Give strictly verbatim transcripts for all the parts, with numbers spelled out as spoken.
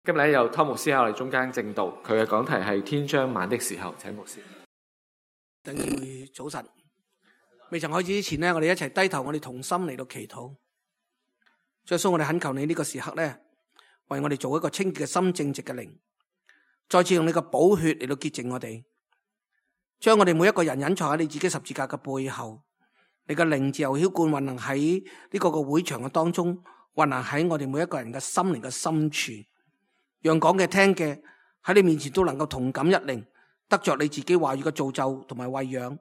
今日咧由湯牧師喺我哋中間證道，佢嘅講題係天將晚的時候，請牧師。弟兄姊妹早晨，未曾開始之前呢，我哋一齊低頭，我哋同心嚟到祈禱。耶穌，我哋懇求你呢個時刻咧，為我哋做一個清潔嘅心、正直嘅靈，再次用你嘅寶血嚟到潔淨我哋，將我哋每一個人隱藏喺你自己十字架嘅背後，你嘅靈自由澆灌運行喺呢個個會場嘅當中，運行喺我哋每一個人嘅心靈嘅深處。讓講嘅聽嘅喺你面前都能夠同感一靈，得着你自己話語嘅造就同埋餵養。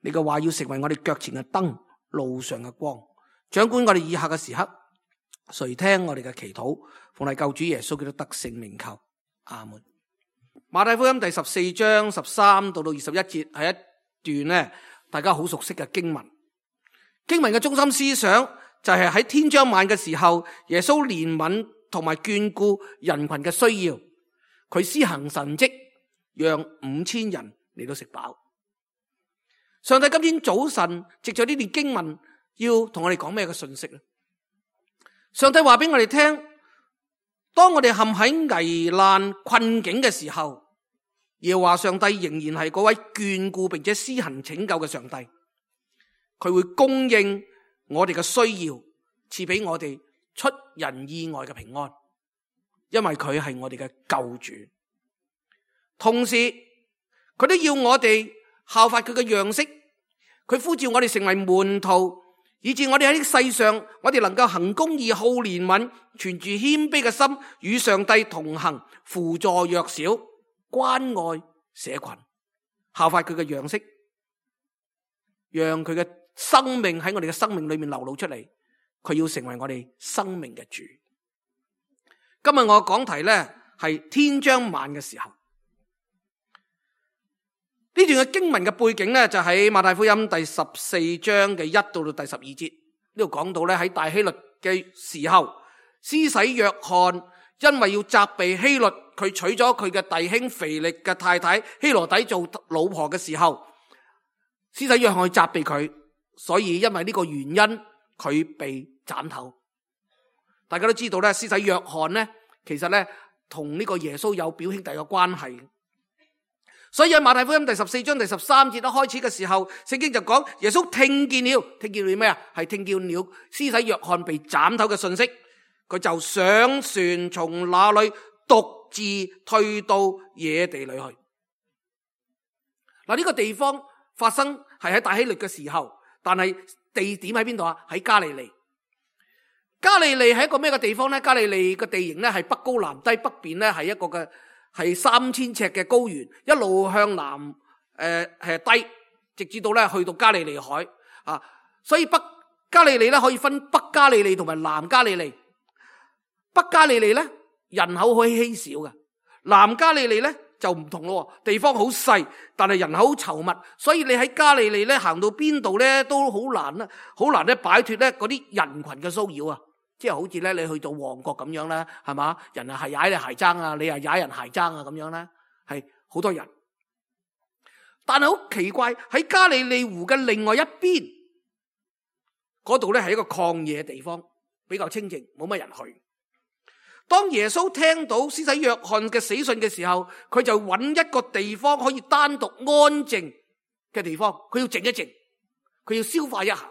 你嘅話要成為我哋腳前嘅燈，路上嘅光，掌管我哋以下嘅時刻。垂聽我哋嘅祈禱，奉係救主耶穌基督得勝名求，阿門。馬太福音第十四章十三到到二十一節係一段咧，大家好熟悉嘅經文。經文嘅中心思想就係喺天將晚嘅時候，耶穌憐憫同埋眷顧人群嘅需要，佢施行神蹟，讓五千人嚟到食飽。上帝今天早晨藉着呢段經文，要同我哋講咩嘅信息咧？上帝話俾我哋聽，當我哋陷喺危難困境嘅時候，耶和華上帝仍然係嗰位眷顧並且施行拯救嘅上帝，佢會供應我哋嘅需要，賜俾我哋出人意外嘅平安，因為佢係我哋嘅救主。同時佢都要我哋效法佢嘅樣式，佢呼召我哋成為門徒，以致我哋喺世上，我哋能夠行公義、好憐憫，存住謙卑嘅心，與上帝同行，扶助弱小，關愛社群，效法佢嘅樣式，讓佢嘅生命喺我哋嘅生命裏面流露出嚟。佢要成為我哋生命嘅主。今日我講題呢係天將晚嘅時候。呢段嘅經文嘅背景呢，就喺馬太福音第十四章嘅一到到第十二節。呢度講到呢，喺大希律嘅時候，施洗約翰因為要責備希律，佢娶咗佢嘅弟兄腓力嘅太太希羅底做老婆嘅時候，施洗約翰去責備佢，所以因為呢個原因佢被斬頭。大家都知道咧，施洗約翰咧，其實咧同呢個耶穌有表兄弟嘅關係。所以喺馬太福音第十四章第十三節一開始嘅時候，聖經就講耶穌聽見了，聽見了咩啊？係聽見了施洗約翰被斬頭嘅信息，佢就上船從那裏獨自退到野地裏去。嗱，呢個地方發生係喺大希律嘅時候，但係地點喺邊度啊？喺加利利。加利利係一個咩嘅地方咧？加利利嘅地形咧係北高南低，北邊咧係一個嘅係三千尺嘅高原，一路向南誒係低，直至到咧去到加利利海啊。所以北加利利咧可以分北加利利同埋南加利利。北加利利咧人口可以稀少嘅，南加利利咧就唔同咯，地方好細，但係人口好稠密，所以你喺加利利咧行到邊度咧都好難啦，好難咧擺脫咧嗰啲人群嘅騷擾啊！即係好似咧你去到旺角咁樣啦，係嘛？人啊係踩你鞋踭啊，你係踩人鞋踭啊咁樣啦，係好多人。但係好奇怪，喺加利利湖嘅另外一邊嗰度咧係一個曠野地方，比較清靜，冇乜人去。當耶穌聽到施洗約翰嘅死訊嘅時候，佢就揾一個地方可以單獨安靜嘅地方，佢要靜一靜，佢要消化一下。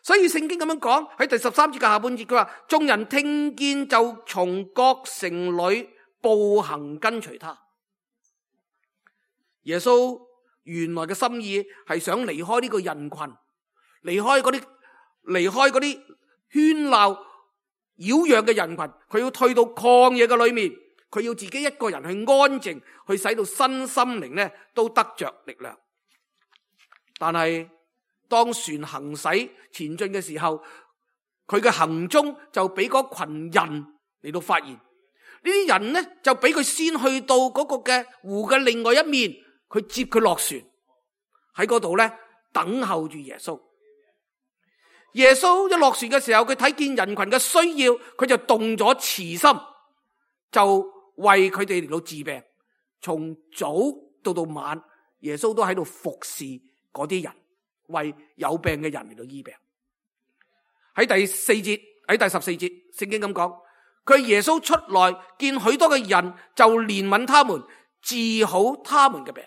所以聖經咁樣講，喺第十三節嘅下半節，佢話眾人聽見就從各城裏步行跟隨他。耶穌原來嘅心意係想離開呢個人群，離開嗰啲離開嗰啲喧鬧擾攘嘅人群，佢要退到曠野嘅裏面，佢要自己一個人去安靜，去使到身心靈咧都得着力量。但係當船行駛前進嘅時候，佢嘅行蹤就俾嗰群人嚟到發現。呢啲人呢就俾佢先去到嗰個嘅湖嘅另外一面，佢接佢落船，喺嗰度咧等候住耶穌。耶穌一落船嘅時候，佢睇見人群嘅需要，佢就動咗慈心，就為佢哋嚟到治病。從早到到晚，耶穌都喺度服侍嗰啲人，為有病嘅人嚟到醫病。喺第四節，喺第十四節，聖經咁講，佢係耶穌出來見許多嘅人，就憐憫他們，治好他們嘅病。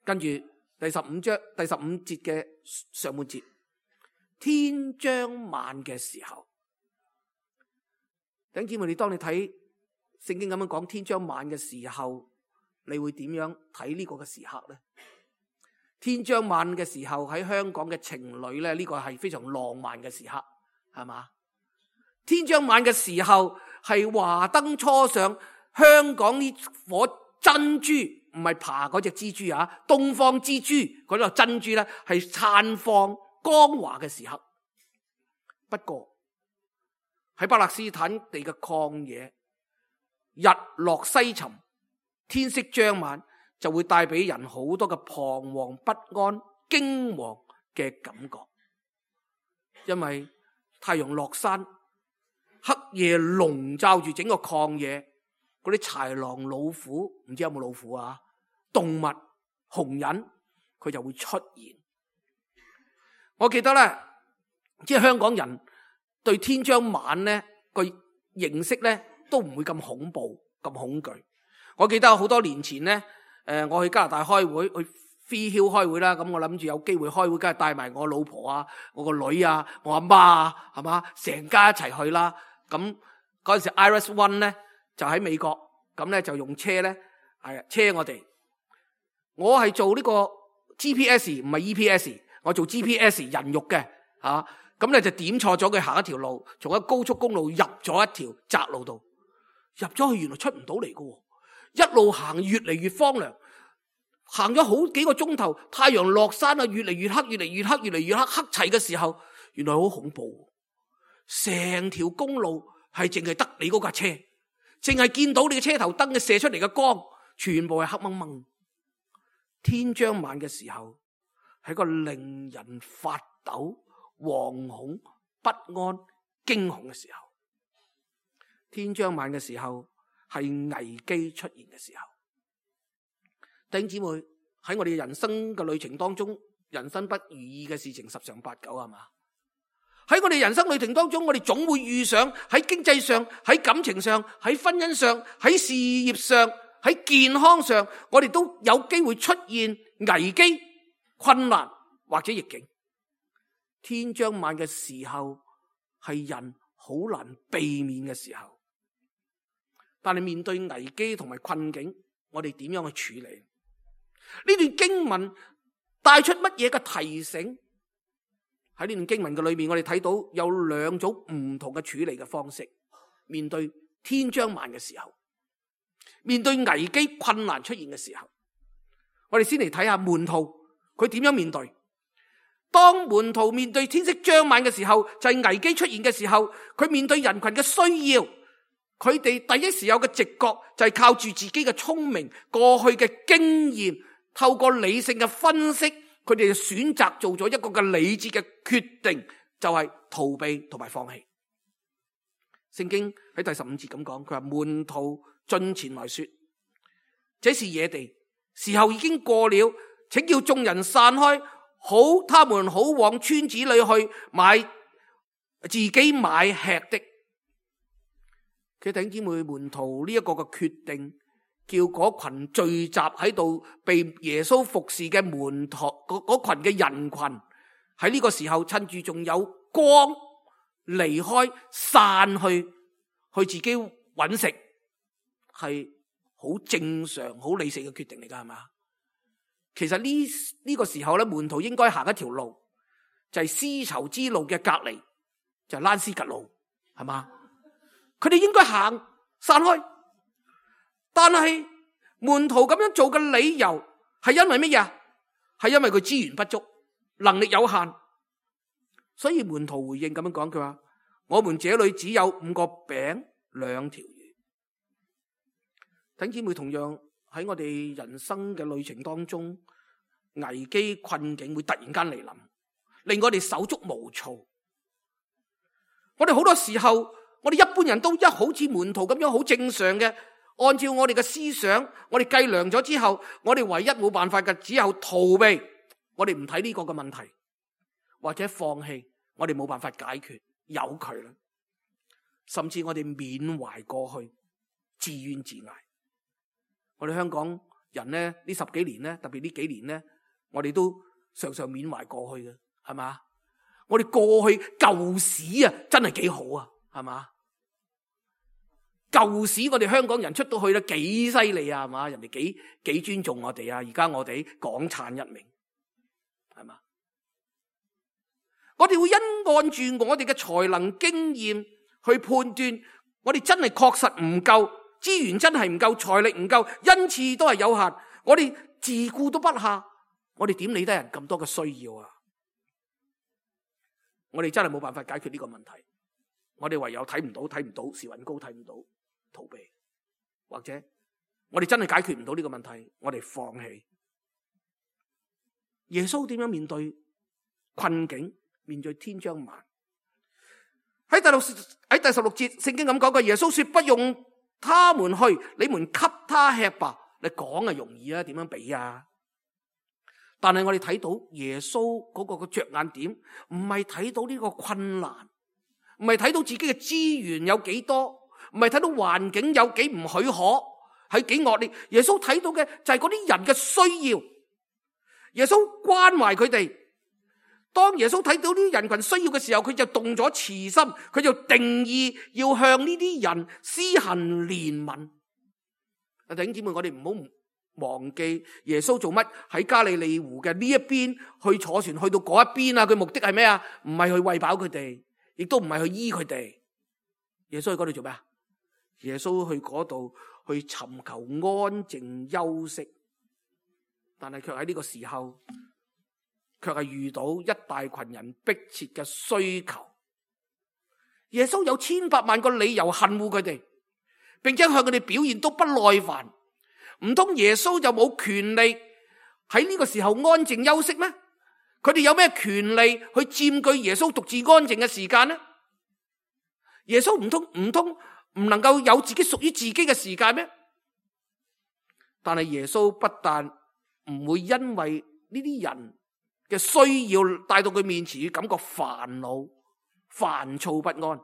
跟住第十五章第十五節嘅上半節，天將晚嘅時候，弟兄姊妹，你當你睇聖經咁樣講天將晚嘅時候，你會點樣睇呢個嘅時刻呢？天將晚嘅時候喺香港嘅情侶咧，呢個係非常浪漫嘅時刻，係嘛？天將晚嘅時候係華燈初上，香港呢顆珍珠，唔係爬嗰隻蜘蛛啊，東方之珠嗰粒珍珠咧係燦放光華嘅時刻。不過喺巴勒斯坦地嘅曠野，日落西沉，天色將晚，就會帶俾人好多嘅彷徨不安、驚惶嘅感覺，因為太陽落山，黑夜籠罩住整個曠野，嗰啲豺狼、老虎，唔知有冇老虎啊？動物、熊人，佢就會出現。我記得咧，即係香港人對天將晚咧個認識咧，都唔會咁恐怖、咁恐懼。我記得好多年前咧。誒，我去加拿大開會，去 Free Hill 開會啦。咁我諗住有機會開會，梗係帶埋我老婆啊、我個女啊、我阿媽啊，係嘛，成家一齊去啦。咁嗰陣時 Iris One 咧就喺美國，咁咧就用車咧係車我哋。我係做呢個 G P S 唔係 E P S， 我做 G P S 人肉嘅嚇。咁咧就點錯咗佢行一條路，從一高速公路入咗一條窄路度，入咗去原來出唔到嚟㗎。一路行越嚟越荒涼，行咗好幾個鐘頭，太陽落山啊，越嚟越黑，越嚟越黑，越嚟越黑，黑齊嘅時候，原來好恐怖，成條公路係淨係得你嗰架車，淨係見到你嘅車頭燈嘅射出嚟嘅光，全部係黑掹掹。天將晚嘅時候，係個令人發抖、惶恐、不安、驚恐嘅時候。天將晚嘅時候，係危機出現嘅時候。弟兄姊妹，喺我哋人生嘅旅程當中，人生不如意嘅事情十常八九，係嘛？喺我哋人生旅程當中，我哋總會遇上喺經濟上、喺感情上、喺婚姻上、喺事業上、喺健康上，我哋都有機會出現危機、困難或者逆境。天將晚嘅時候，係人好難避免嘅時候。但係面對危機同埋困境，我哋點樣去處理？呢段經文帶出乜嘢嘅提醒？喺呢段經文嘅裏面，我哋睇到有兩種唔同嘅處理嘅方式。面對天將晚嘅時候，面對危機困難出現嘅時候，我哋先嚟睇下門徒佢點樣面對。當門徒面對天色將晚嘅時候，就係危機出現嘅時候，佢面對人群嘅需要。佢哋第一時有嘅直覺就係靠住自己嘅聰明、過去嘅經驗，透過理性嘅分析，佢哋選擇做咗一個嘅理智嘅決定，就係逃避同埋放棄。聖經喺第十五節咁講，佢話門徒進前來說：這是野地，時候已經過了，請叫眾人散開，好他們好往村子裏去買自己買吃的。佢弟兄姊妹，門徒呢一個嘅決定，叫嗰群聚集喺度被耶穌服侍嘅門徒嗰群嘅人群，喺呢個時候趁住仲有光離開散去去自己揾食，係好正常好理性嘅決定嚟噶，係嘛？其實呢呢個時候咧，門徒應該行一條路，就係絲綢之路嘅隔離，就係蘭斯格路，係嘛？佢哋應該行散開，但係門徒咁樣做嘅理由係因為乜嘢？係因為佢資源不足，能力有限，所以門徒回應咁樣講，佢話：我們這裏只有五個餅兩條魚。弟兄姊妹，同樣喺我哋人生嘅旅程當中，危機困境會突然間嚟臨，令我哋手足無措。我哋好多時候，我哋一般人都一好似門徒咁樣好正常嘅，按照我哋嘅思想，我哋計量咗之後，我哋唯一冇辦法嘅只有逃避，我哋唔睇呢個嘅問題，或者放棄，我哋冇辦法解決，由佢啦。甚至我哋緬懷過去，自怨自艾。我哋香港人咧，呢十幾年咧，特別呢幾年咧，我哋都常常緬懷過去嘅，係嘛？我哋過去舊史啊，真係幾好啊，係嘛？舊史我哋香港人出到去咧，幾犀利啊，係嘛？人哋幾幾尊重我哋啊，而家我哋港燦一名，係嘛？我哋會因按住我哋嘅才能經驗去判斷，我哋真係確實唔夠資源，真係唔夠財力唔夠，恩賜都係有限，我哋自顧都不下，我哋點理得人咁多嘅需要啊？我哋真係冇辦法解決呢個問題，我哋唯有睇唔到睇唔到時運高，睇唔到逃避，或者我哋真係解決唔到呢個問題，我哋放棄。耶穌點樣面對困境，面對天將晚？喺第六喺第十六節聖經咁講過，耶穌說不用他們去，你們給他吃吧。你講啊容易啊，點樣俾啊？但係我哋睇到耶穌嗰個嘅着眼點，唔係睇到呢個困難，唔係睇到自己嘅資源有幾多，唔係睇到環境有幾唔許可，係幾惡劣。耶穌睇到嘅就係嗰啲人嘅需要，耶穌關懷佢哋。當耶穌睇到呢啲人群需要嘅時候，佢就動咗慈心，佢就定義要向呢啲人施行憐憫。啊，弟兄姊妹，我哋唔好忘記耶穌做乜喺加利利湖嘅呢一邊去坐船去到嗰一邊啊？佢目的係咩啊？唔係去餵飽佢哋，亦都唔係去醫佢哋。耶穌去嗰度做咩啊？耶穌去嗰度去尋求安靜休息，但係卻喺呢個時候，卻係遇到一大群人迫切嘅需求。耶穌有千百萬個理由恨惡佢哋，並且向佢哋表現都不耐煩。唔通耶穌就冇權利喺呢個時候安靜休息咩？佢哋有咩權利去佔據耶穌獨自安靜嘅時間呢？耶穌唔通唔通唔能夠有自己屬於自己嘅時間咩？但係耶穌不但唔會因為呢啲人嘅需要帶到佢面前而感覺煩惱、煩躁不安，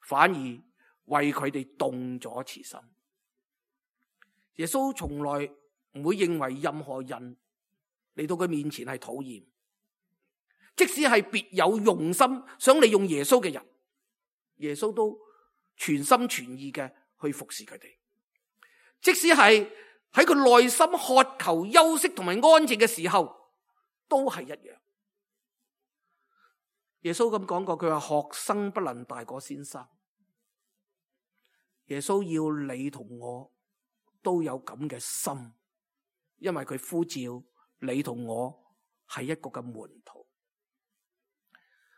反而為佢哋動咗慈心。耶穌從來唔會認為任何人嚟到佢面前係討厭，即使係別有用心想利用耶穌嘅人，耶穌都全心全意嘅去服侍佢哋。即使係喺佢內心渴求休息同埋安靜嘅時候，都係一樣。耶穌咁講過，佢話學生不能大過先生。耶穌要你同我都有咁嘅心，因為佢呼召你同我係一個嘅門徒。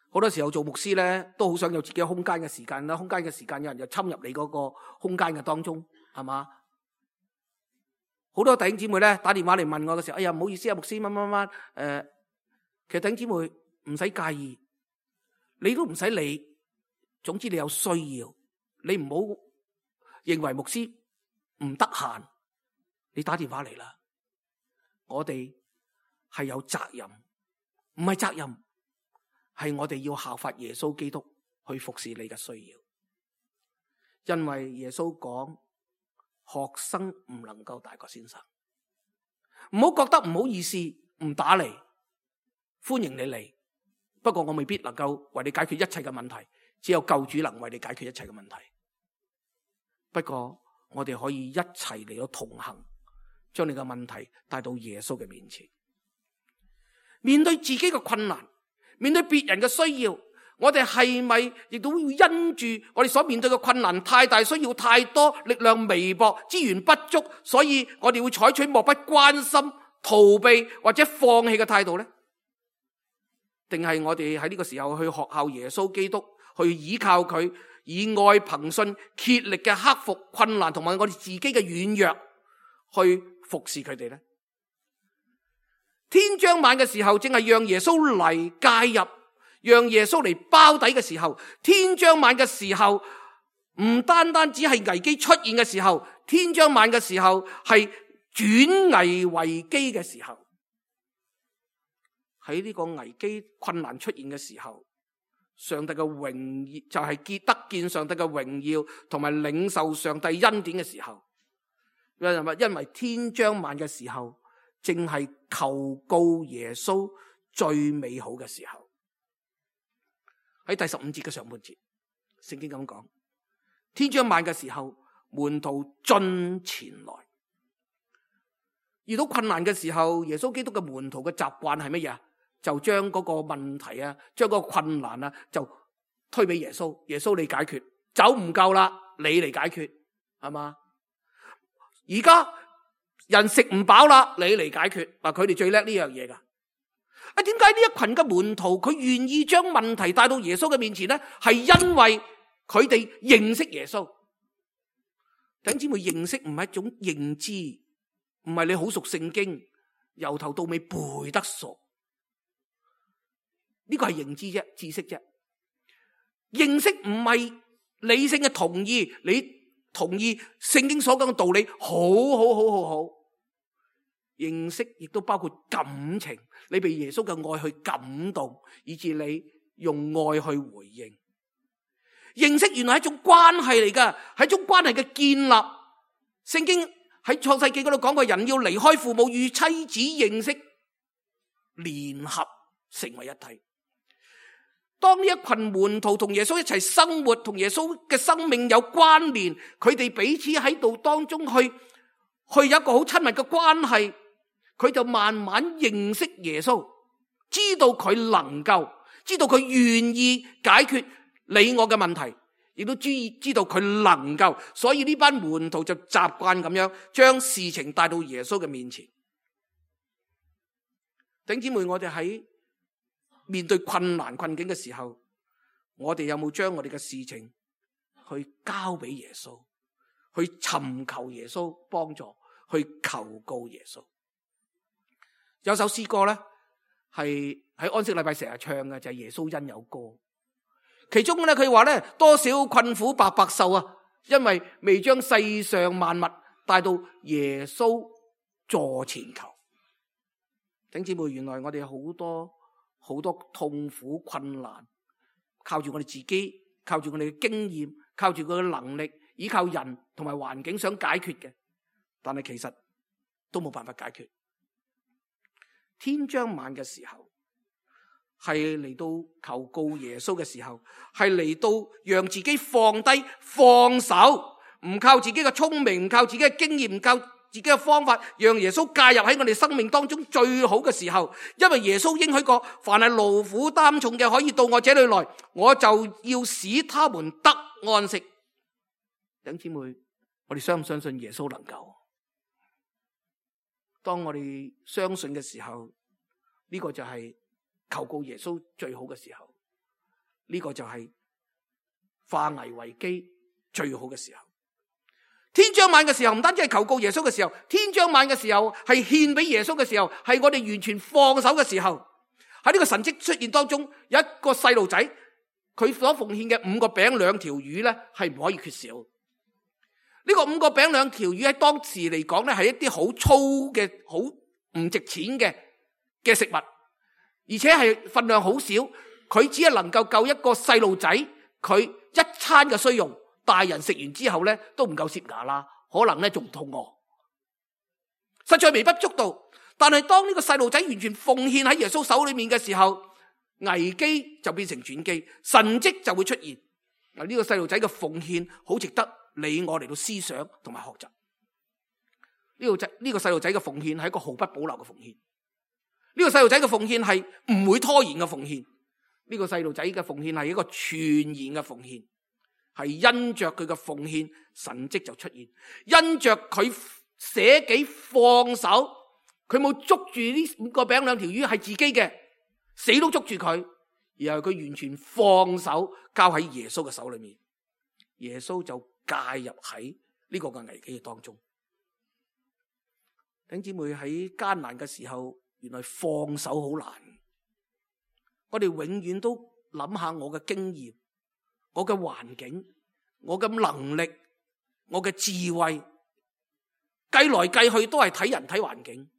好多時候做牧師咧，都好想有自己空間嘅時間啦，空間嘅時間有人就侵入你嗰個空間嘅當中，係嘛？好多弟兄姊妹咧打電話嚟問我嘅時候，哎呀唔好意思啊，牧師乜乜乜，誒、呃，其實弟兄姊妹唔使介意，你都唔使理，總之你有需要，你唔好認為牧師唔得閒，你打電話嚟啦。我哋係有責任，唔係責任，係我哋要效法耶穌基督去服侍你嘅需要。因為耶穌講，學生唔能夠大過先生。唔好覺得唔好意思，唔打嚟，歡迎你嚟。不過我未必能夠為你解決一切嘅問題，只有救主能為你解決一切嘅問題。不過我哋可以一齊嚟到同行，將你嘅問題帶到耶穌嘅面前。面對自己嘅困難，面對別人嘅需要，我哋係咪亦都要因住我哋所面對嘅困難太大，需要太多，力量微薄，資源不足，所以我哋會採取漠不關心、逃避或者放棄嘅態度呢？定係我哋喺呢個時候去學效耶穌基督，去依靠佢，以愛憑信竭力嘅克服困難同埋我哋自己嘅軟弱，去服侍佢哋呢？天將晚嘅時候，正係讓耶穌嚟介入，讓耶穌嚟包底嘅時候。天將晚嘅時候，唔單單只係危機出現嘅時候，天將晚嘅時候係轉危為機嘅時候。喺呢個危機困難出現嘅時候，上帝嘅榮耀，就係見得見上帝嘅榮耀，同埋領受上帝恩典嘅時候。因為因為天將晚嘅時候，正係求告耶穌最美好嘅時候。喺第十五節嘅上半節，聖經咁講：天將晚嘅時候，門徒進前來。遇到困難嘅時候，耶穌基督嘅門徒嘅習慣係乜嘢？就將嗰個問題啊，將嗰個困難啊，就推俾耶穌。耶穌你解決，酒唔夠啦，你嚟解決，係嘛？而家人食唔飽啦，你嚟解決。啊，佢哋最叻呢樣嘢噶。啊，點解呢一群嘅門徒佢願意將問題帶到耶穌嘅面前呢？係因為佢哋認識耶穌。弟兄姊妹，認識唔係一種認知，唔係你好熟聖經，由頭到尾背得熟。呢個係認知啫，知識啫。認識唔係理性嘅同意，你同意聖經所講嘅道理，好好好好好。認識亦都包括感情，你被耶穌嘅愛去感動，以致你用愛去回應。認識原來係一種關係嚟噶，係一種關係嘅建立。聖經喺創世記嗰度講過，人要離開父母與妻子認識，聯合成為一體。當呢一群門徒同耶穌一齊生活，同耶穌嘅生命有關聯，佢哋彼此喺度當中去去有一個好親密嘅關係，佢就慢慢認識耶穌，知道佢能夠，知道佢願意解決你我嘅問題，亦都知知道佢能夠，所以呢班門徒就習慣咁樣將事情帶到耶穌嘅面前。弟兄姊妹，我哋喺面對困難困境嘅時候，我哋有冇將我哋嘅事情去交俾耶穌，去尋求耶穌幫助，去求告耶穌？有首詩歌咧，係喺安息禮拜成日唱嘅，就係耶穌恩有歌。其中咧，佢話咧，多少困苦白白受啊，因為未將世上萬物帶到耶穌座前求。弟兄姊妹，原來我哋有好多好多痛苦困難，靠住我哋自己，靠住我哋嘅經驗，靠住佢嘅能力，依靠人同埋環境想解決嘅，但係其實都冇辦法解決。天將晚嘅時候，係嚟到求告耶穌嘅時候，係嚟到讓自己放低放手，唔靠自己嘅聰明，唔靠自己嘅經驗，唔靠自己嘅方法，讓耶穌介入喺我哋生命當中最好嘅時候。因為耶穌應許過，凡係勞苦擔重嘅，可以到我這裏來，我就要使他們得安息。弟兄姊妹，我哋相唔相信耶穌能夠？當我哋相信嘅時候，呢個就係求告耶穌最好嘅時候，呢個就係化危為機最好嘅時候。天將晚嘅時候，唔單止係求告耶穌嘅時候，天將晚嘅時候係獻俾耶穌嘅時候，係我哋完全放手嘅時候。喺呢個神蹟出現當中，有一個細路仔，佢所奉獻嘅五個餅兩條魚咧，係唔可以缺少。呢個五個餅兩條魚喺當時嚟講咧，係一啲好粗嘅、好唔值錢嘅嘅食物，而且係份量好少，佢只係能夠夠一個細路仔佢一餐嘅需用。大人食完之後咧，都唔夠攝牙啦，可能咧仲肚餓，實在微不足道。但係當呢個細路仔完全奉獻喺耶穌手裏面嘅時候，危機就變成轉機，神蹟就會出現。嗱，呢個細路仔嘅奉獻好值得你我嚟到思想同埋學習。呢個仔呢個細路仔嘅奉獻係一個毫不保留嘅奉獻。呢個細路仔嘅奉獻係唔會拖延嘅奉獻。呢個細路仔嘅奉獻係一個全然嘅奉獻。係因着佢嘅奉獻，神蹟就出現。因着佢捨己放手，佢冇捉住呢五個餅兩條魚係自己嘅，死都捉住佢，然後佢完全放手交喺耶穌嘅手裏面，耶穌就介入喺呢個嘅危機嘅當中。弟兄姊妹，喺艱難嘅時候，原來放手好難。我哋永遠都諗下我嘅經驗，我嘅環境，我嘅能力，我嘅智慧，計來計去都係睇人睇環境。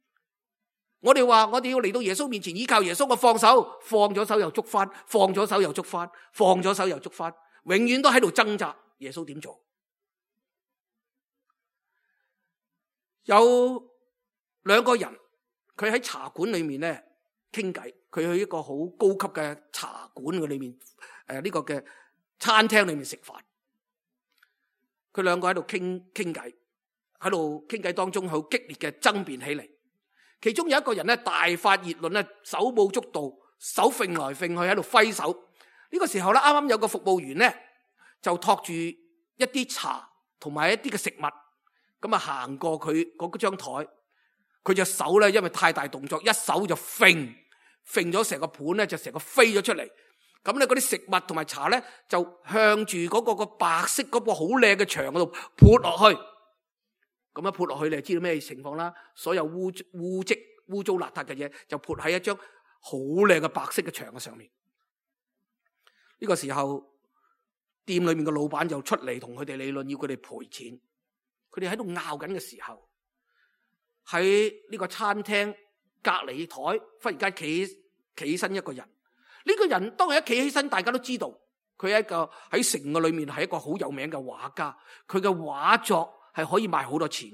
我哋話我哋要嚟到耶穌面前依靠耶穌，我放手，放咗手又捉翻，放咗手又捉翻，放咗手又捉翻，永遠都喺度掙扎。耶穌點做？有兩個人，佢喺茶館裏面咧傾偈，佢去一個好高級嘅茶館嘅裏面，誒、呃、呢、這個嘅餐廳裏面食飯。佢兩個喺度傾傾偈，喺度傾偈當中好激烈嘅爭辯起嚟。其中有一個人咧大發熱論咧，手舞足蹈，手揈來揈去喺度揮手。呢、這個時候咧，啱啱有個服務員咧就托住一啲茶同埋一啲嘅食物，咁啊行過佢嗰張台，佢隻手咧因為太大動作，一手就揈揈咗成個盤咧，就成個飛咗出嚟。咁咧嗰啲食物同埋茶咧就向住嗰個個白色嗰個好靚嘅牆嗰度潑落去。咁樣潑落去，你就知道咩情況啦？所有污污漬、污糟邋遢嘅嘢就潑喺一張好靚嘅白色嘅牆嘅上面。呢個時候，店裏面嘅老闆就出嚟同佢哋理論，要佢哋賠錢。佢哋喺度拗緊嘅時候，喺呢個餐廳隔離台忽然間企企起身一個人。呢個人當佢一企起身，大家都知道佢係一個喺城嘅裏面係一個好有名嘅畫家，佢嘅畫作係可以賣好多錢。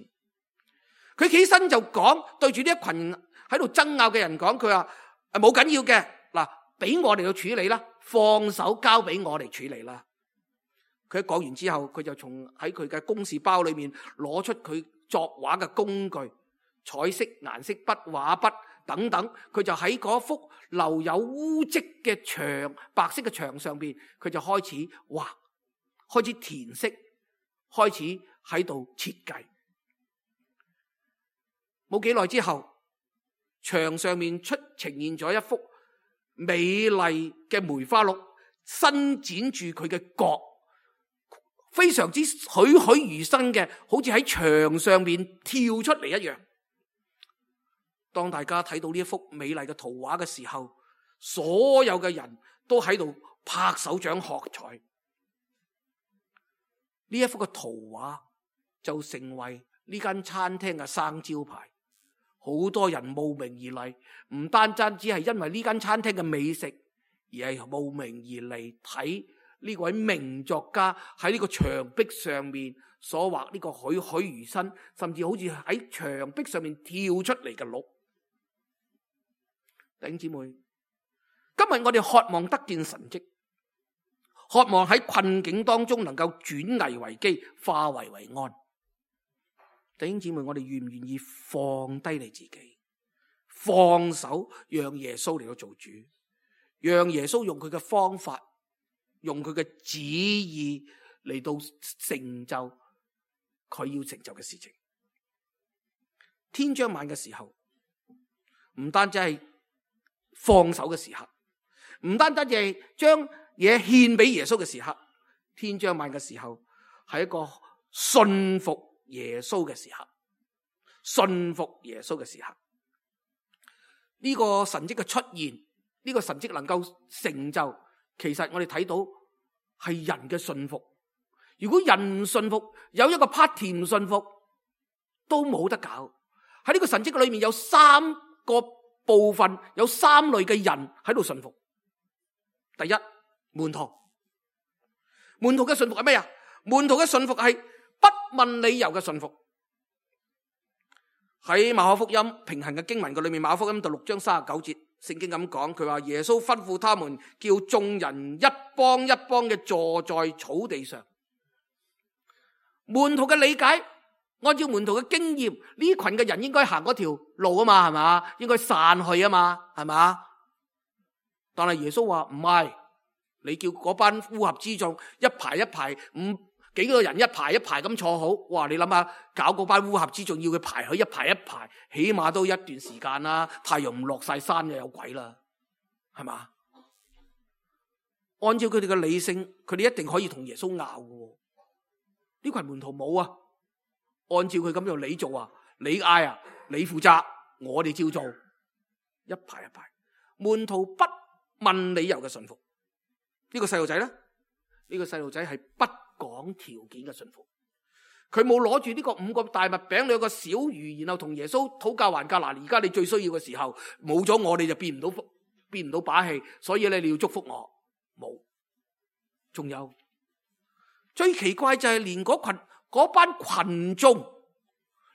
佢起身就講，對住呢一群喺度爭拗嘅人講，佢話誒冇緊要嘅，嗱，俾我哋去處理啦，放手交俾我哋處理啦。佢一講完之後，佢就從喺佢嘅公事包裏面攞出佢作畫嘅工具，彩色、顏色筆、畫筆等等，佢就喺嗰幅留有污漬嘅牆，白色嘅牆上邊，佢就開始畫，開始填色，開始喺度設計。冇幾耐之後，牆上面出呈現咗一幅美麗嘅梅花鹿，伸展住佢嘅角，非常之栩栩如生嘅，好似喺牆上面跳出嚟一樣。當大家睇到呢一幅美麗嘅圖畫嘅時候，所有嘅人都喺度拍手掌喝彩。呢一幅嘅圖畫就成為呢間餐廳嘅生招牌，好多人慕名而嚟，唔單單只係因為呢間餐廳嘅美食，而係慕名而嚟睇呢位名作家喺呢個牆壁上面所畫呢個栩栩如生，甚至好似喺牆壁上面跳出嚟嘅鹿。弟兄姊妹，今日我哋渴望得見神蹟，渴望喺困境當中能夠轉危為機，化危為安。弟兄姊妹，我哋願唔願意放低你自己，放手讓耶穌嚟到做主，讓耶穌用佢嘅方法，用佢嘅旨意嚟到成就佢要成就嘅事情。天將晚嘅時候，唔單止係放手嘅時刻，唔單單係將嘢獻俾耶穌嘅時刻，天將晚嘅時候係一個信服耶穌嘅時刻，信服耶穌嘅時刻。呢個神蹟嘅出現，呢個神蹟能夠成就，其實我哋睇到係人嘅信服。如果人唔信服，有一個 party 唔信服，都冇得搞。喺呢個神蹟嘅裏面有三個部分，有三類嘅人喺度信服。第一，門徒。門徒嘅信服係咩啊？門徒嘅信服係不問理由嘅信服。喺馬可福音平行嘅經文嘅裏面，馬可福音第六章三十九節，聖經咁講，佢話耶穌吩咐他們叫眾人一幫一幫嘅坐在草地上。門徒嘅理解，按照門徒嘅經驗，呢群嘅人應該行嗰條路啊嘛，係嘛？應該散去啊嘛，係嘛？但係耶穌話唔係，你叫嗰班烏合之眾一排一排，五幾個人一排一排咁坐好。哇！你諗下，搞嗰班烏合之眾要佢排去一排一排，起碼都一段時間啦。太陽唔落晒山就有鬼啦，係嘛？按照佢哋嘅理性，佢哋一定可以同耶穌拗嘅。呢群門徒冇啊，按照佢咁樣你做啊，你嗌啊，你負責，我哋照做，一排一排。門徒不問理由嘅信服。呢個細路仔咧，呢個細路仔係不講條件嘅信服。佢冇攞住呢個五個大麥餅兩個小魚，然後同耶穌討價還價。嗱，而家你最需要嘅時候，冇咗我，你就變唔到變唔到把戲，所以咧你要祝福我。冇。仲有最奇怪就係連嗰群嗰班群眾，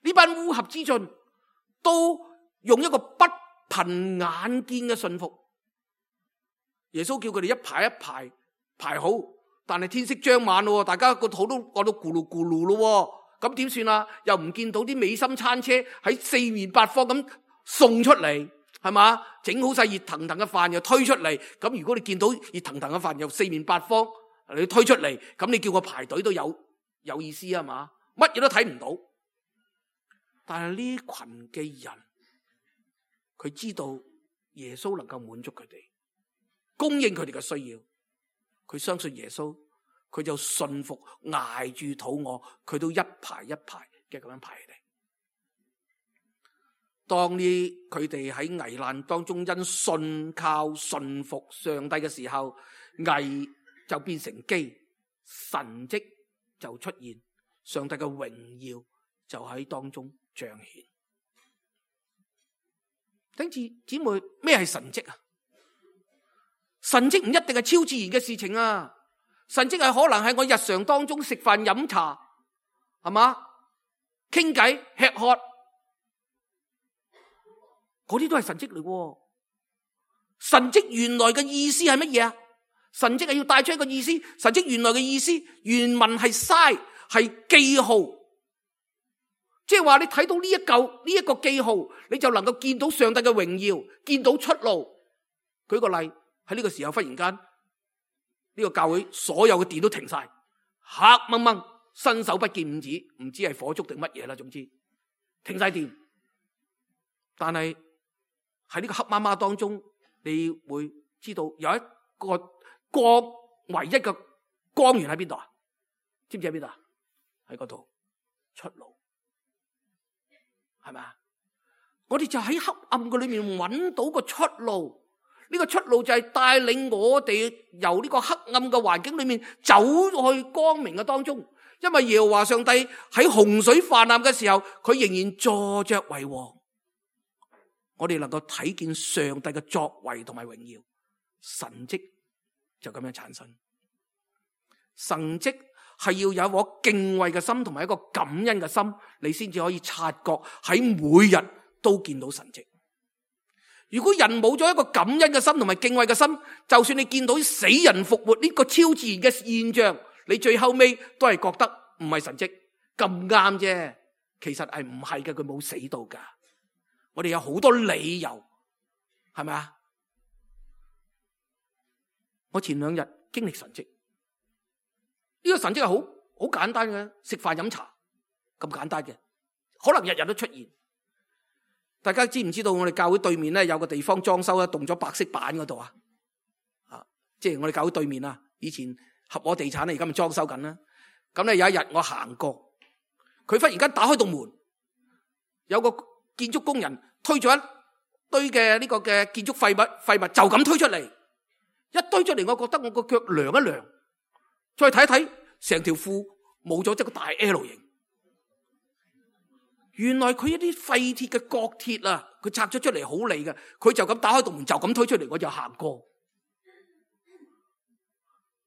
呢班烏合之眾，都用一個不憑眼見嘅信服。耶穌叫佢哋一排一排排好，但係天色將晚咯，大家個肚都餓到咕嚕咕嚕咯，咁點算啊？又唔見到啲美心餐車喺四面八方咁送出嚟，係嘛？整好晒熱騰騰嘅飯又推出嚟，咁如果你見到熱騰騰嘅飯又四面八方你推出嚟，咁你叫我排隊都有有意思啊嘛？乜嘢都睇唔到。但係呢群嘅人，佢知道耶穌能夠滿足佢哋，供應佢哋嘅需要。佢相信耶穌，佢就信服，挨住肚餓，佢都一排一排嘅咁樣排嚟。當呢佢哋喺危難當中因信靠信服上帝嘅時候，危就變成機，神蹟就出現，上帝嘅榮耀就喺當中彰顯。弟兄姊妹，咩係神蹟啊？神蹟唔一定係超自然嘅事情啊！神蹟係可能係我日常當中食飯飲茶，係嘛？傾偈吃喝，嗰啲都係神蹟嚟喎。神蹟原來嘅意思係乜嘢啊？神蹟係要帶出一個意思。神蹟原來嘅意思，原文係 sign， 係記號。即係話你睇到呢一嚿呢一個記號，你就能夠見到上帝嘅榮耀，見到出路。舉個例，喺呢個時候忽然間呢個教會所有嘅電都停晒，黑掹掹，伸手不見五指，唔知係火燭定乜嘢啦，總之停晒電。但係喺呢個黑麻麻當中，你會知道有一個光，唯一嘅光源喺邊度啊？知唔知喺邊度啊？喺嗰度，出路，係咪啊？我哋就喺黑暗嘅裏面揾到個出路。呢個出路就係帶領我哋由呢個黑暗嘅環境裏面走去光明嘅當中。因為耶和華上帝喺洪水泛濫嘅時候，佢仍然坐着為王。我哋能夠睇見上帝嘅作為同埋榮耀，神蹟就咁樣產生。神蹟係要有一顆敬畏嘅心同埋一個感恩嘅心，你先至可以察覺喺每日都見到神蹟。如果人冇咗一個感恩嘅心同埋敬畏嘅心，就算你見到死人復活呢個超自然嘅現象，你最後尾都係覺得唔係神蹟，咁啱啫。其實係唔係嘅，佢冇死到噶。我哋有好多理由，係咪啊？我前兩日經歷神蹟，呢個神蹟係好好簡單嘅，食飯飲茶咁簡單嘅，可能日日都出現。大家知唔知道我哋教會對面咧有個地方裝修咧，動咗白色板嗰度啊？啊，即係我哋教會對面啊，以前合和地產咧，而家咪裝修緊啦。咁咧有一日我行過，佢忽然間打開道門，有個建築工人推咗一堆嘅呢個嘅建築廢物廢物就咁推出嚟，一堆出嚟，我覺得我個腳涼一涼，再睇一睇，成條褲冇咗一個大 L 型。原來佢一啲廢鐵嘅角鐵啊，佢拆咗出嚟好利嘅，佢就咁打開道門就咁推出嚟，我就行過。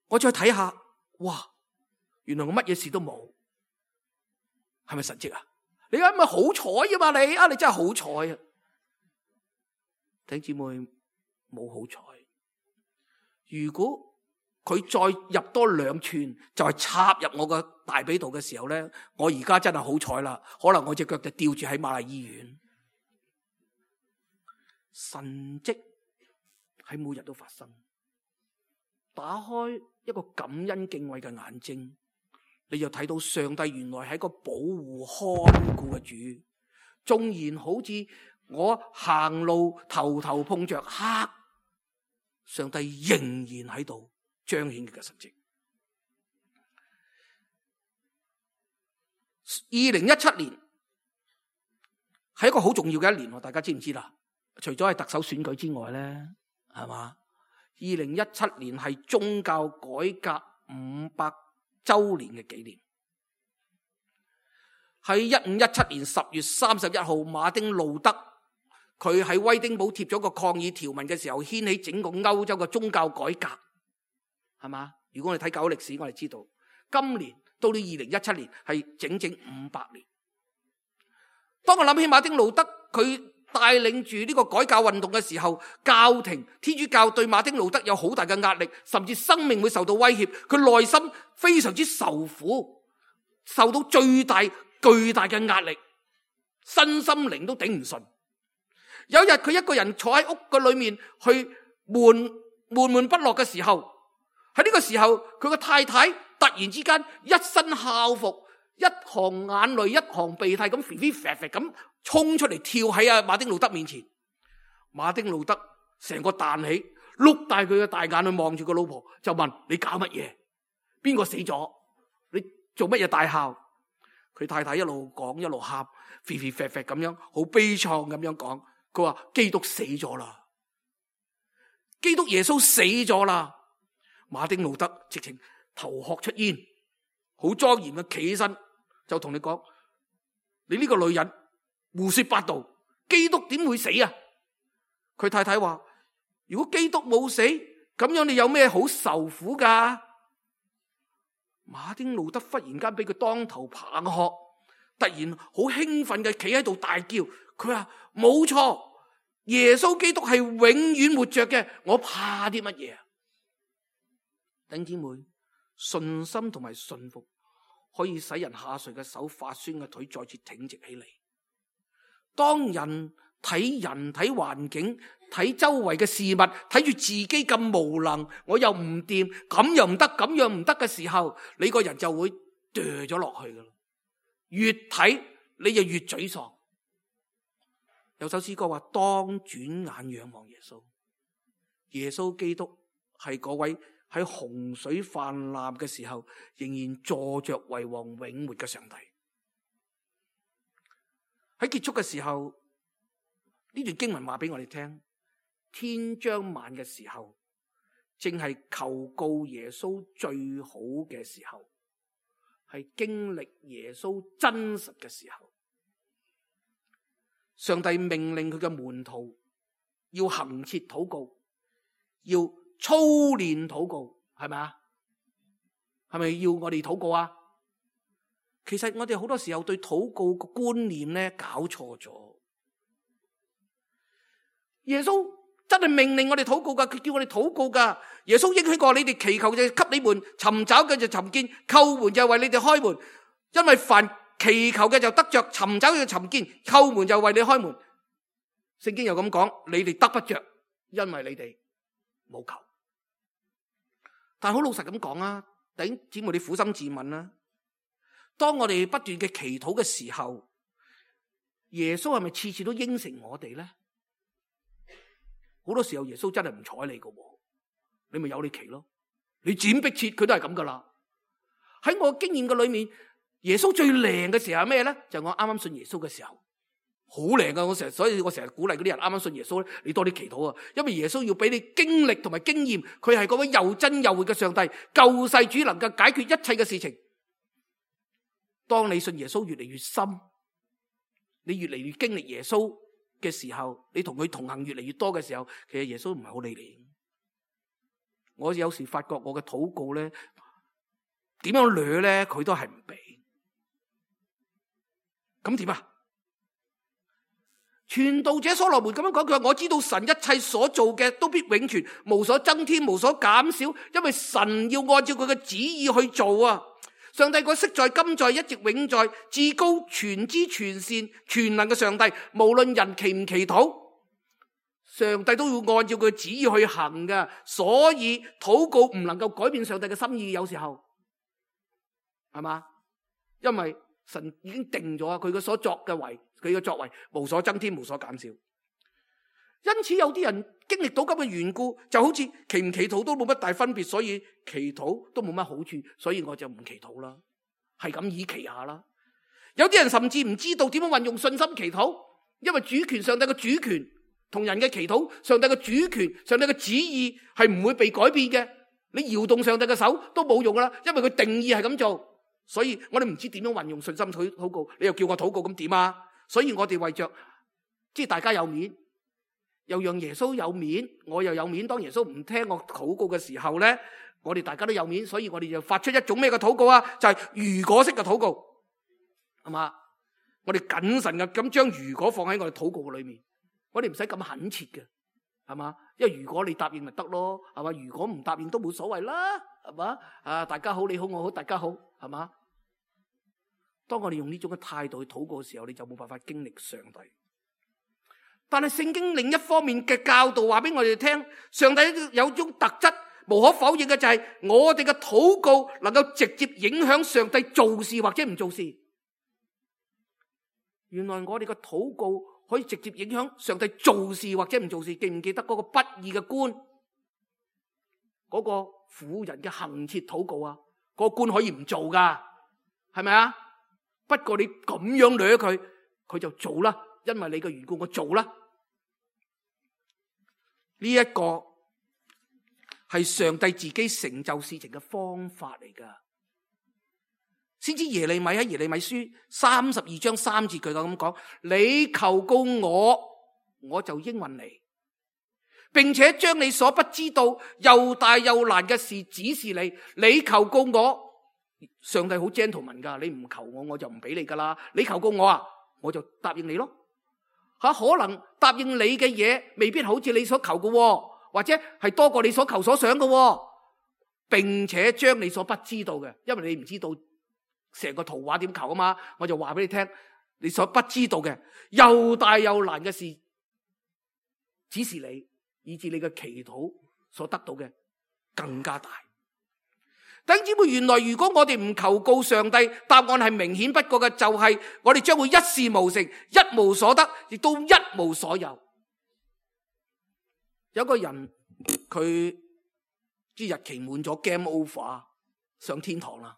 我再睇下，哇！原來我乜嘢事都冇，係咪神蹟啊？你係咪好彩啊嘛？你啊，你真係好彩啊！弟兄姊妹冇好彩，如果佢再入多兩寸，就係插入我個大髀度嘅時候咧，我而家真係好彩啦，可能我隻腳就吊住喺瑪麗醫院。神蹟喺每日都發生，打開一個感恩敬畏嘅眼睛，你就睇到上帝原來係一個保護看顧嘅主。縱然好似我行路頭頭碰着黑，上帝仍然喺度彰顯佢嘅神蹟。二零一七年係一個好重要嘅一年，大家知唔知啦？除咗係特首選舉之外咧，係嘛？二零一七年係宗教改革五百周年嘅紀念。喺一五一七年十月三十一號，馬丁路德佢喺威丁堡貼咗個抗議條文嘅時候，掀起整個歐洲嘅宗教改革，係嘛？如果我哋睇舊歷史，我哋知道今年到到二零一七年係整整五百年。當我諗起馬丁路德佢帶領住呢個改革運動嘅時候，教廷天主教對馬丁路德有好大嘅壓力，甚至生命會受到威脅，佢內心非常之受苦，受到最大巨大嘅壓力，身心靈都頂唔順。有一日佢一個人坐喺屋嘅裏面去悶悶悶不樂嘅時候，喺呢個時候佢個太太突然之間一身校服，一行眼淚一行鼻涕咁飛飛啡啡咁衝出嚟，跳喺阿馬丁路德面前。馬丁路德成個彈起，碌大佢嘅大眼去望住個老婆，就問：你搞乜嘢？邊個死咗？你做乜嘢大喊？佢太太一路講一路喊，飛飛啡啡咁樣，好悲愴咁樣講。佢話基督死咗啦，基督耶穌死咗啦。馬丁路德直情頭殼出煙，好莊嚴嘅企起身，就同你講：你呢個女人胡說八道，基督點會死啊？佢太太話：如果基督冇死，咁樣你有咩好受苦噶？馬丁路德忽然間俾佢當頭棒喝，突然好興奮嘅企喺度大叫，佢話：冇錯，耶穌基督係永遠活着嘅，我怕啲乜嘢啊？弟兄姊妹，信心同埋信服可以使人下垂嘅手、發酸嘅腿再次挺直起嚟。當人睇人、睇環境、睇周圍嘅事物，睇住自己咁無能，我又唔掂，咁又唔得，咁樣唔得嘅時候，你個人就會墮咗落去噶啦。越睇你就越沮喪。有首詩歌話：當轉眼仰望耶穌，耶穌基督係嗰位喺洪水泛濫嘅時候仍然坐着為王永活嘅上帝。喺結束嘅時候，呢段經文話俾我哋聽，天將晚嘅時候，正係求告耶穌最好嘅時候，係經歷耶穌真實嘅時候。上帝命令佢嘅門徒要恆切禱告，要操練禱告，係咪啊？係咪要我哋禱告啊？其實我哋好多時候對禱告個觀念咧搞錯咗。耶穌真係命令我哋禱告噶，佢叫我哋禱告噶。耶穌應許過：你哋祈求就給你們，尋找嘅就尋見，叩門就為你哋開門。因為凡祈求嘅就得着，尋找嘅就尋見，叩門就為你開門。聖經又咁講：你哋得不着，因為你哋冇求。但係好老實咁講啊，弟兄姊妹，你苦心自問啦。當我哋不斷嘅祈禱嘅時候，耶穌係咪次次都應承我哋咧？好多時候耶穌真係唔睬你噶，你咪由你祈咯。你剪逼切佢都係咁噶啦。喺我經驗嘅裏面，耶穌最靚嘅時候係咩咧？就係我啱啱信耶穌嘅時候，好靚噶。我成日，所以我成日鼓勵嗰啲人啱啱信耶穌咧，你多啲祈禱啊。因為耶穌要俾你經歷同埋經驗，佢係嗰位又真又活嘅上帝，救世主，能夠解決一切嘅事情。當你信耶穌越嚟越深，你越嚟越經歷耶穌嘅時候，你同佢同行越嚟越多嘅時候，其實耶穌唔係好理你。我有時發覺我嘅禱告咧，點樣掠咧，佢都係唔俾。咁點啊？傳道者所羅門咁樣講，佢話：我知道神一切所做嘅都必永存，無所增添，無所減少，因為神要按照佢嘅旨意去做啊！上帝個昔在今在一直永在，至高全知全善全能嘅上帝，無論人祈唔祈禱，上帝都要按照佢嘅旨意去行㗎。所以禱告唔能夠改變上帝嘅心意，有時候係嘛？因為神已經定咗佢嘅所作嘅為，佢嘅作為無所增添，無所減少。因此有啲人經歷到咁嘅緣故，就好似祈唔祈禱都冇乜大分別，所以祈禱都冇乜好處，所以我就唔祈禱啦，係咁以祈下啦。有啲人甚至唔知道點樣運用信心祈禱，因為主權，上帝嘅主權同人嘅祈禱，上帝嘅主權，上帝嘅旨意係唔會被改變嘅。你搖動上帝嘅手都冇用噶啦，因為佢定義係咁做。所以我哋唔知點樣運用信心禱禱告，你又叫我禱告咁點啊？所以我哋為着即係大家有面，又讓耶穌有面，我又有面。當耶穌唔聽我禱告嘅時候咧，我哋大家都有面，所以我哋就發出一種咩嘅禱告啊？就係如果式嘅禱告，係嘛？我哋謹慎嘅咁將如果放喺我哋禱告嘅裏面，我哋唔使咁懇切嘅，係嘛？因為如果你答應咪得咯，係嘛？如果唔答應都冇所謂啦，係嘛？啊，大家好，你好，我好，大家好，係嘛？當我哋用呢種嘅態度去禱告嘅時候，你就冇辦法經歷上帝。但係聖經另一方面嘅教導話俾我哋聽，上帝有種特質無可否認嘅，就係我哋嘅禱告能夠直接影響上帝做事或者唔做事。原來我哋嘅禱告可以直接影響上帝做事或者唔做事。記唔記得嗰個不義嘅官，嗰個婦人嘅恆切禱告啊？嗰個官可以唔做噶，係咪啊？不過你咁樣掠佢，佢就做啦，因為你嘅緣故，我做啦。呢一個係上帝自己成就事情嘅方法嚟噶。先知耶利米喺耶利米書三十二章三節，佢就咁講：你求告我，我就應允你，並且將你所不知道又大又難嘅事指示你。你求告我，上帝好 gentleman 噶，你唔求我，我就唔俾你噶啦。你求告我啊，我就答應你咯。吓，可能答應你嘅嘢未必好似你所求嘅，或者係多過你所求所想嘅，並且將你所不知道嘅，因為你唔知道成個圖畫點求啊嘛，我就話俾你聽，你所不知道嘅又大又難嘅事指示你，以致你嘅祈禱所得到嘅更加大。弟兄姊妹，原來如果我哋唔求告上帝，答案係明顯不過嘅，就係我哋將會一事無成，一無所得，亦都一無所有。有個人佢啲日期滿咗 ，game over， 上天堂啦。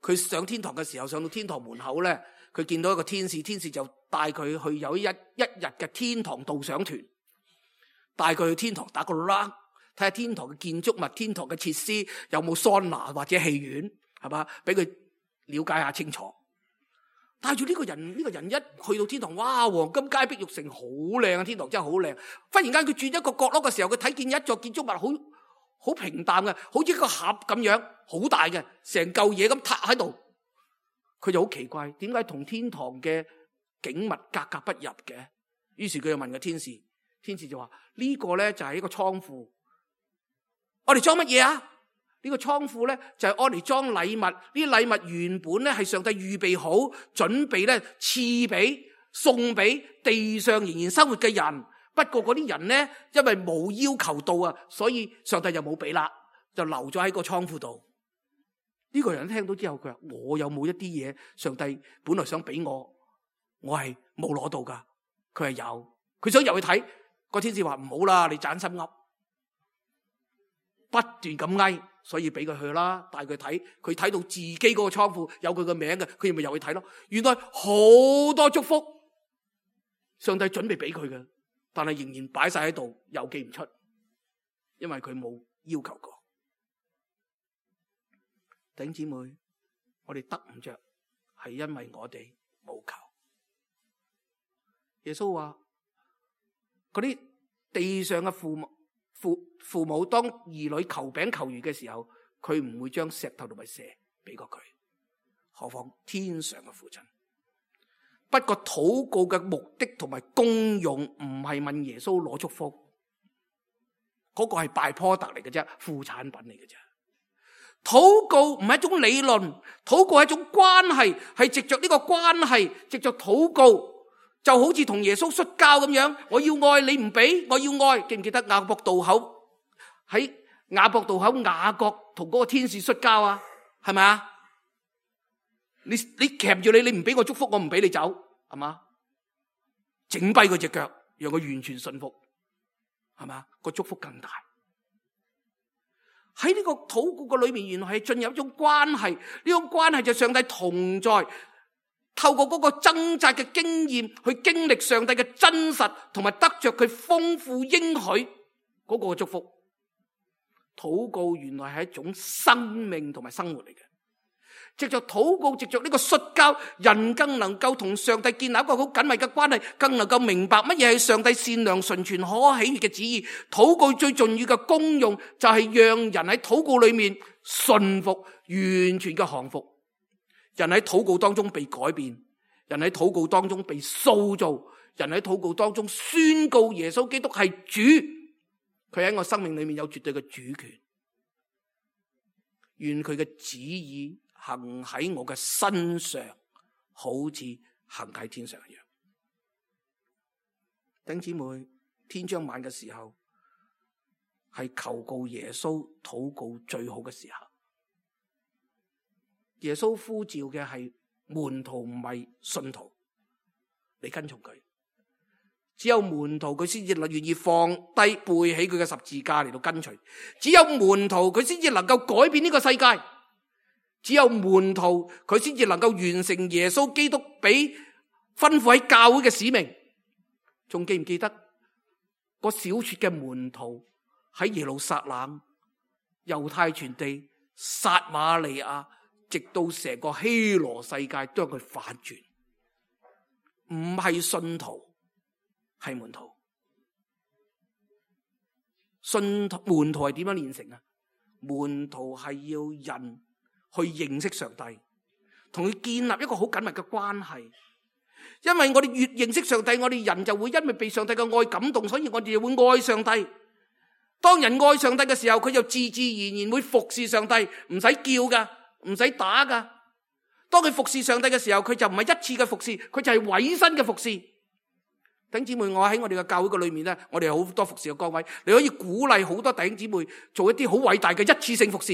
佢上天堂嘅時候，上到天堂門口咧，佢見到一個天使，天使就帶佢去有一一日嘅天堂導賞團，帶佢去天堂打個 round。睇下天堂嘅建築物、天堂嘅設施有冇桑拿或者戲院，係嘛？俾佢了解下清楚。帶住呢個人，呢個人一去到天堂，哇！黃金街碧玉城好靚啊！天堂真係好靚。忽然間佢轉一個角落嘅時候，佢睇見一座建築物好好平淡嘅，好似一個盒咁樣，好大嘅，成嚿嘢咁塌喺度。佢就好奇怪，點解同天堂嘅景物格格不入嘅？於是佢就問個天使，天使就話：呢個咧就係一個倉庫。我哋裝乜嘢啊？呢個倉庫咧就係我哋裝禮物。呢啲禮物原本咧係上帝預備好，準備咧賜俾送俾地上仍然生活嘅人。不過嗰啲人咧因為冇要求到啊，所以上帝就冇俾啦，就留咗喺個倉庫度。呢個人聽到之後，佢話：我有冇一啲嘢上帝本來想俾我，我係冇攞到噶？佢係有，佢想入去睇。個天使話：唔好啦，你盞心噏。不斷咁哀，所以俾佢去啦，帶佢睇，佢睇到自己嗰個倉庫有佢個名嘅，佢咪入去睇咯。原來好多祝福，上帝準備俾佢嘅，但係仍然擺晒喺度，又寄唔出，因為佢冇要求過。弟兄姊妹，我哋得唔着，係因為我哋冇求。耶穌話：嗰啲地上嘅父母。父父母當兒女求餅求魚嘅時候，佢唔會將石頭同埋蛇俾過佢，何況天上嘅父親。不過禱告嘅目的同埋功用唔係問耶穌攞祝福，嗰、那個係拜坡特嚟嘅啫，副產品嚟嘅啫。禱告唔係一種理論，禱告係一種關係，係藉着呢個關係，藉着禱告。就好似同耶穌摔跤咁樣，我要愛你唔俾，我要愛。記唔記得雅博渡口喺雅博渡口雅各同嗰個天使摔跤啊？係咪啊？你你鉗住你，你唔俾我祝福，我唔俾你走，係嘛？整跛佢隻腳，讓佢完全信服，係嘛？個祝福更大。喺呢個禱告嘅裏面，原來係進入一種關係，呢種關係就上帝同在。透過嗰個掙扎嘅經驗去經歷上帝嘅真實，同埋得着佢豐富應許嗰個祝福。禱告原來係一種生命同埋生活嚟嘅。藉着禱告，藉着呢個摔跤，人更能夠同上帝建立一個好緊密嘅關係，更能夠明白乜嘢係上帝善良、純全、可喜悅嘅旨意。禱告最重要嘅功用就係讓人喺禱告裏面順服，完全嘅降服。人喺禱告當中被改變，人喺禱告當中被塑造，人喺禱告當中宣告耶穌基督係主，佢喺我生命裏面有絕對嘅主權。願佢嘅旨意行喺我嘅身上，好似行喺天上一樣。弟兄姊妹，天將晚嘅時候係求告耶穌禱告最好嘅時候。耶穌呼召嘅係門徒，唔係信徒，你跟從佢。只有門徒佢先至願意放低背起佢嘅十字架嚟到跟隨，只有門徒佢先至能夠改變呢個世界，只有門徒佢先至能夠完成耶穌基督俾吩咐喺教會嘅使命。仲記唔記得個小撮嘅門徒喺耶路撒冷、猶太全地、撒瑪利亞，直到成個希羅世界都係佢反轉，唔係信徒，係門徒。信徒門徒係點樣練成啊？門徒係要人去認識上帝，同佢建立一個好緊密嘅關係。因為我哋越認識上帝，我哋人就會因為被上帝嘅愛感動，所以我哋就會愛上帝。當人愛上帝嘅時候，佢就自自然然會服侍上帝，唔使叫噶，唔使打噶。當佢服侍上帝嘅時候，佢就唔係一次嘅服侍，佢就係委身嘅服侍。弟兄姊妹，我喺我哋嘅教會嘅裏面咧，我哋有好多服侍嘅崗位，你可以鼓勵好多弟兄姊妹做一啲好偉大嘅一次性服侍，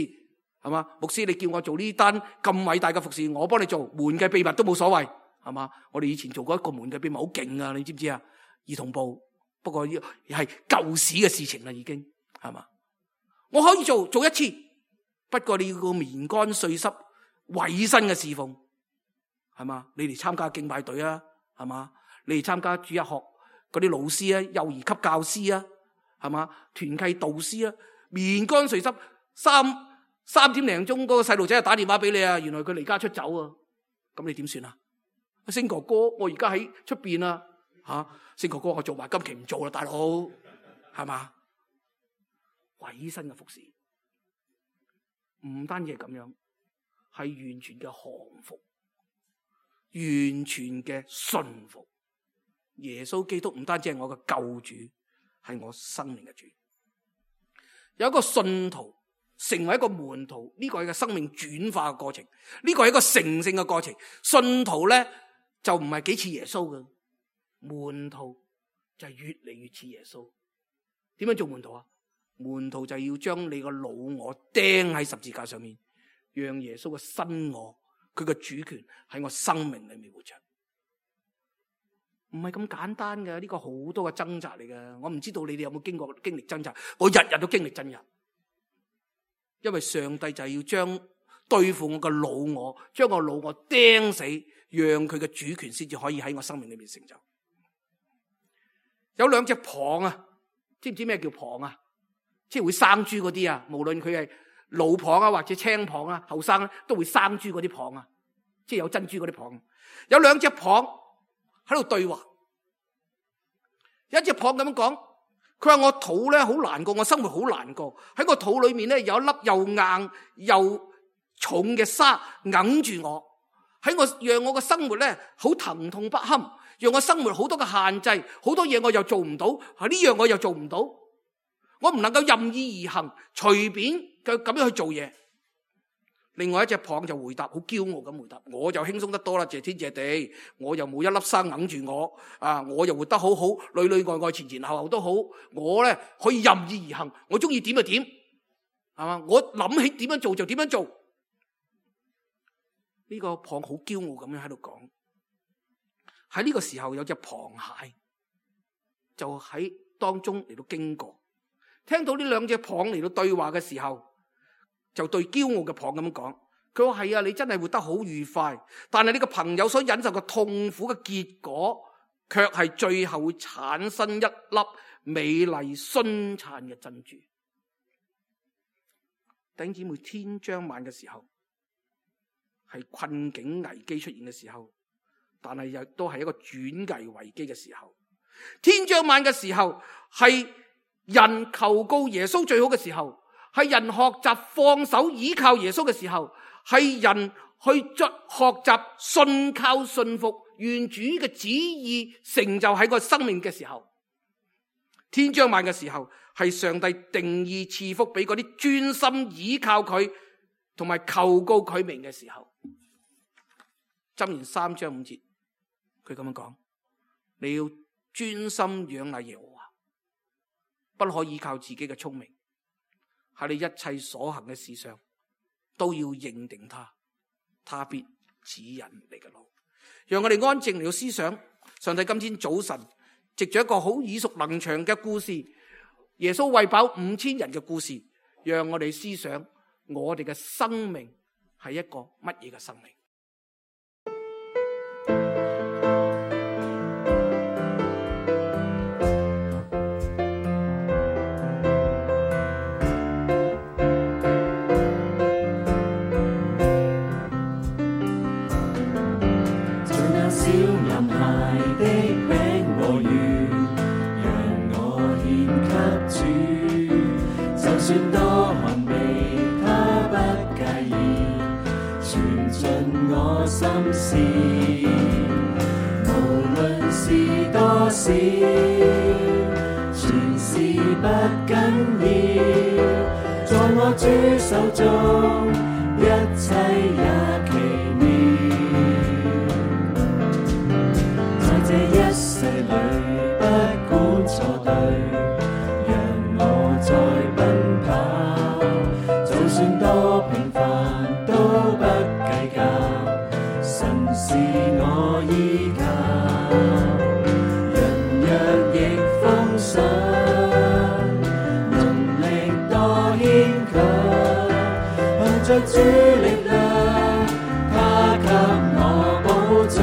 係嘛？牧師，你叫我做呢單咁偉大嘅服侍，我幫你做，門嘅秘密都冇所謂，係嘛？我哋以前做過一個門嘅秘密，好勁啊！你知唔知啊？兒童部，不過係舊時嘅事情啦，已經係嘛？我可以做做一次，不過你要個棉乾碎濕委身嘅侍奉，係嘛？你嚟參加敬拜隊啊，係嘛？你嚟參加主日學嗰啲老師啊，幼兒級教師啊，係嘛？團契導師啊，面乾水濕，三三點零鐘嗰個細路仔就打電話俾你啊，原來佢離家出走啊，咁你點算啊？星哥哥，我而家喺出邊啊，吓，星哥哥，我做埋今期唔做啦，大佬，係嘛？委身嘅服侍，唔單止係咁樣，係完全嘅降服，完全嘅順服。耶穌基督唔單止係我嘅救主，係我生命嘅主。有一個信徒成為一個門徒，呢個係個生命轉化嘅過程，呢個係一個成聖嘅過程。信徒咧就唔係幾似耶穌嘅，門徒就係越嚟越似耶穌。點樣做門徒啊？門徒就要將你個老我釘喺十字架上面，讓耶穌嘅新我，佢嘅主權喺我生命裏面活出。唔係咁簡單嘅，呢個好多嘅掙扎嚟嘅。我唔知道你哋有冇經過經歷掙扎，我日日都經歷掙扎。因為上帝就係要將對付我嘅老我，將我老我釘死，讓佢嘅主權先至可以喺我生命裏面成就。有兩隻蚌啊，知唔知咩叫蚌啊？即係會生珠嗰啲啊，無論佢係老蚌啊或者青蚌啊，後生都會生珠嗰啲蚌啊，即係有珍珠嗰啲蚌。有兩隻蚌喺度對話，有一隻蚌咁樣講，佢話我肚咧好難過，我生活好難過，喺我肚裏面咧有一粒又硬又重嘅沙揞住我，喺我讓我嘅生活咧好疼痛不堪，讓我生活好多嘅限制，好多嘢我又做唔到，呢樣我又做唔到，我唔能夠任意而行，隨便嘅咁樣去做嘢。另外一隻蚌就回答，好驕傲咁回答，我就輕鬆得多啦，謝天謝地，我又冇一粒沙揞住我，啊，我又活得好好，裏裏外外前前後後都好，我咧可以任意而行，我中意點就點，係嘛？我諗起點樣做就點樣做。呢個蚌好驕傲咁樣喺度講。喺呢個時候有隻螃蟹就喺當中嚟到經過，聽到呢兩隻蚌嚟到對話嘅時候，就對驕傲嘅蚌咁樣講，佢話係啊，你真係活得好愉快，但係你個朋友所忍受嘅痛苦嘅結果，卻係最後會產生一粒美麗璀璨嘅珍珠。弟兄姊妹，天將晚嘅時候，係困境危機出現嘅時候，但係又都係一個轉危為機嘅時候。天將晚嘅時候，係人求告耶穌最好嘅時候，係人學習放手倚靠耶穌嘅時候，係人去作學習信靠信服願主嘅旨意成就喺個生命嘅時候。天將晚嘅時候，係上帝定義賜福俾嗰啲專心倚靠佢同埋求告佢名嘅時候。箴言三章五節，佢咁樣講：你要專心仰賴耶和華，不可依靠自己嘅聰明，喺你一切所行嘅事上都要認定他，他必指引你嘅路。讓我哋安靜嚟到思想上帝今天早晨藉着一個好耳熟能詳嘅故事，耶穌餵飽五千人嘅故事，讓我哋思想我哋嘅生命係一個乜嘢嘅生命。算多寒微，他不介意，傳盡我心事。無論是多少，全是不緊要。在我主手中，一切也奇妙。在這一世裏，不管錯對。在奔跑，就算多平凡都不計較，神是我依靠。人若逆風想，能力多牽強，憑着主力量，他給我保障。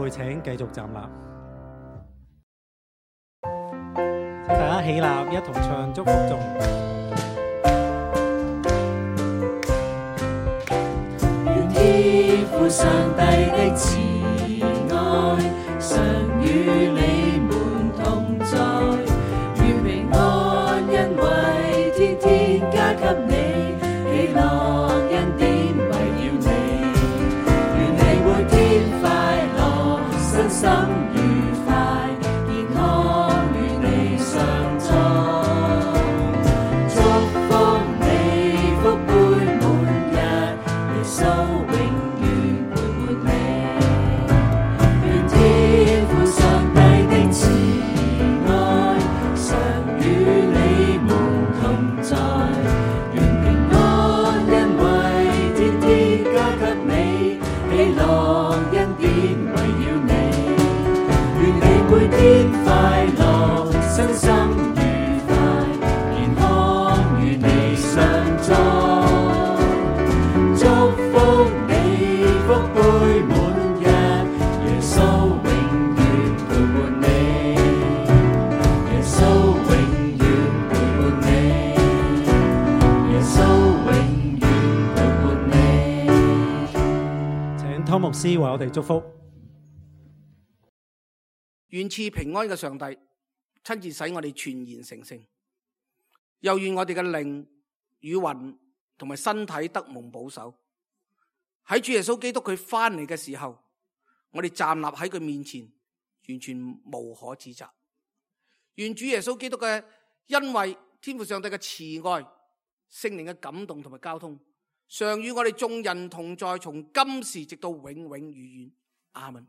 請繼續站立，請大家起立，一同唱祝福頌。願天父上帝的慈愛常與你們同在，願平安恩惠天天加給你，喜樂恩典圍繞你，願你每天快樂，身心愉快，健康與你相助，祝福你福杯滿溢，耶穌永遠陪伴你。願天父上帝的慈愛常與你們同在，願平安恩惠天天加給你，喜樂恩典圍繞你。每天快樂，身心愉快，健康與你相助，祝福你福杯滿溢，耶穌永遠陪伴你，耶穌永遠陪伴你，耶穌永遠陪伴你。湯牧師為我哋祝福。願賜平安嘅上帝親自使我哋全然成聖，又願我哋嘅靈與魂同埋身體得蒙保守。喺主耶穌基督佢翻嚟嘅時候，我哋站立喺佢面前，完全無可指責。願主耶穌基督嘅恩惠、天父上帝嘅慈愛、聖靈嘅感動同埋交通，常與我哋眾人同在，從今時直到永永遠遠。阿們。